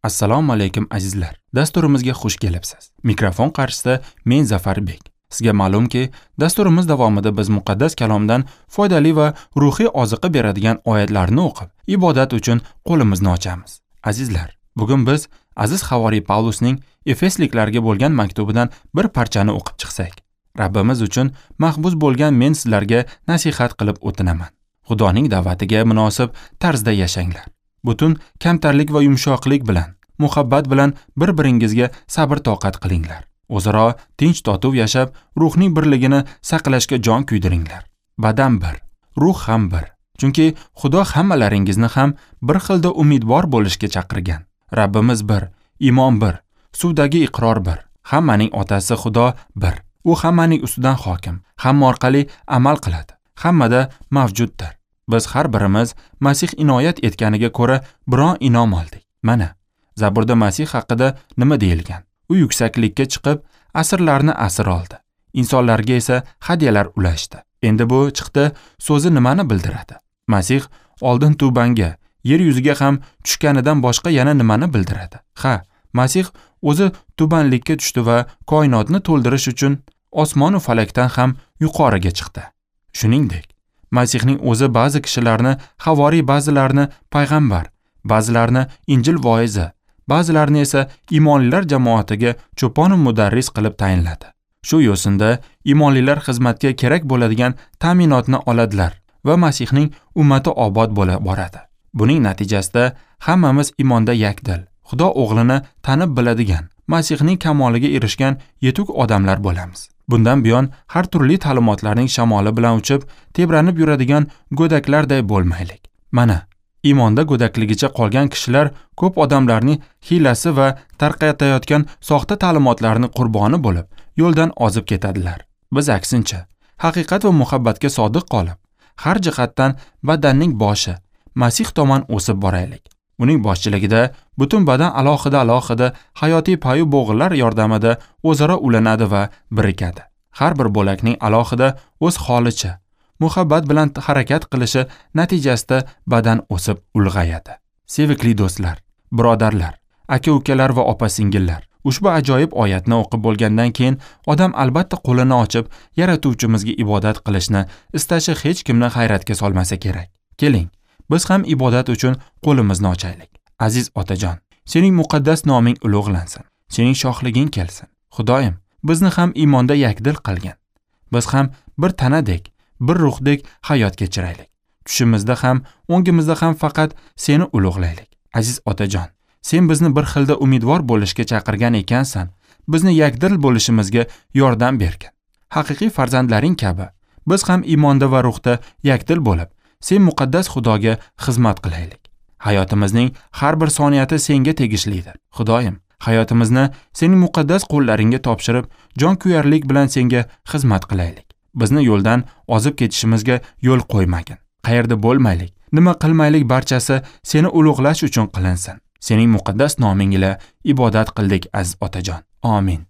Assalomu alaykum azizlar. Dasturimizga xush kelibsiz. Mikrofon qarshisida men Zafarbek. Sizga ma'lumki, dasturimiz davomida biz muqaddas kalomdan foydali va ruhiy oziqa beradigan oyatlarni o'qib, ibodat uchun qo'limizni ochamiz. Azizlar, bugun biz aziz havoriy Pavlusning Efesliklarga bo'lgan maktubidan bir parchani o'qib chiqsak. Rabbimiz uchun mahbus bo'lgan men sizlarga nasihat qilib o'tinaman. Xudoning da'vatiga munosib tarzda yashanglar. Butun kamtarlik va yumshoqlik bilan, muhabbat bilan bir-biringizga sabr toqat qilinglar. O'zaro tinch totuv yashab, ruhning birligini saqlashga jon kuydiringlar. Badan bir, ruh ham bir. Chunki Xudo hammalaringizni ham bir xilda umidvor bo'lishga chaqirgan. Rabbimiz bir, iymon bir, suvdagi iqror bir. Hammaning otasi Xudo bir. U hammaning ustidan hokim, hamma orqali amal qiladi. Hammada mavjuddir. Biz har birimiz Masih inoyat etganiga ko'ra biron inom oldik. Mana, Zaburda Masih haqida nima deyilgan? U yuksaklikka chiqib, asrlarni asir oldi. Insonlarga esa hadyalar ulashdi. Endi bu chiqdi so'zi nimani bildiradi? Masih oldin tubanga, yer yuziga ham tushganidan boshqa yana nimani bildiradi? Ha, Masih o'zi tubanlikka tushdi va koinotni to'ldirish uchun osmon va falakdan ham yuqoriga chiqdi. Shuningdek, Masihning o'zi ba'zi kishilarni havoriy, ba'zilarini payg'ambar, ba'zilarini Injil voizi, ba'zilarini esa iymonlilar jamoatiga cho'pon va mudarris qilib tayinladi. Shu yo'sinda iymonlilar xizmatga kerak bo'ladigan ta'minotni oladilar va Masihning ummati obod bo'la boradi. Buning natijasida hammamiz iymonda yakdil, Xudo o'g'lini tanib biladigan, Masihning kamoliga erishgan yetuk odamlar bo'lamiz. Bundan buyon har turli ta'limotlarning shamoli bilan uchib, tebranib yuradigan go'daklarday bo'lmaylik. Mana, iymonda go'dakligicha qolgan kishilar ko'p odamlarning hiylasi va tarqatayotgan soxta ta'limotlarning qurboni bo'lib, yo'ldan ozib ketadilar. Biz aksincha, haqiqat va muhabbatga sodiq qolib, har jihatdan badanning boshi Masih tomon o'sib boraylik. Uning boshchiligida butun badan alohida-alohida hayotiy payu bo'g'inlar yordamida o'zaro ulanadi va birikadi. Har bir bo'lakning alohida o'z holicha, muhabbat bilan harakat qilishi natijasida badan o'sib ulg'ayadi. Sevikli do'stlar, birodarlar, aka-ukalar va opa-singillar, ushbu ajoyib oyatni o'qib bo'lgandan keyin odam albatta qo'lini ochib, yaratuvchimizga ibodat qilishni istashi hech kimni hayratga solmasa kerak. Keling, biz ham ibodat uchun qo'limizni ochaylik. Aziz otajon, sening muqaddas noming ulug'lansin. Sening shohliging kelsin. Xudoyim, bizni ham iymonda yakdil qilgin. Biz ham bir tanadek, bir ruhdek hayot kechiraylik. Tushimizda ham, o'ngimizda ham faqat seni ulug'laylik. Aziz otajon, sen bizni bir xilda umidvor bo'lishga chaqirgan ekansan. Bizni yakdil bo'lishimizga yordam bergin. Haqiqiy farzandlaring kabi biz ham iymonda va ruhda yakdil bo'lib, sen muqaddas Xudoga xizmat qilaylik. Hayotimizning har bir soniyati senga tegishlidir. Xudoyim, hayotimizni sening muqaddas qo'llaringga topshirib, jonkuyarlik bilan senga xizmat qilaylik. Bizni yo'ldan ozib ketishimizga yo'l qo'ymagin. Qayerda bo'lmaylik, nima qilmaylik, barchasi seni ulug'lash uchun qilinsin. Sening muqaddas noming ila ibodat qildik, aziz otajon. Amin.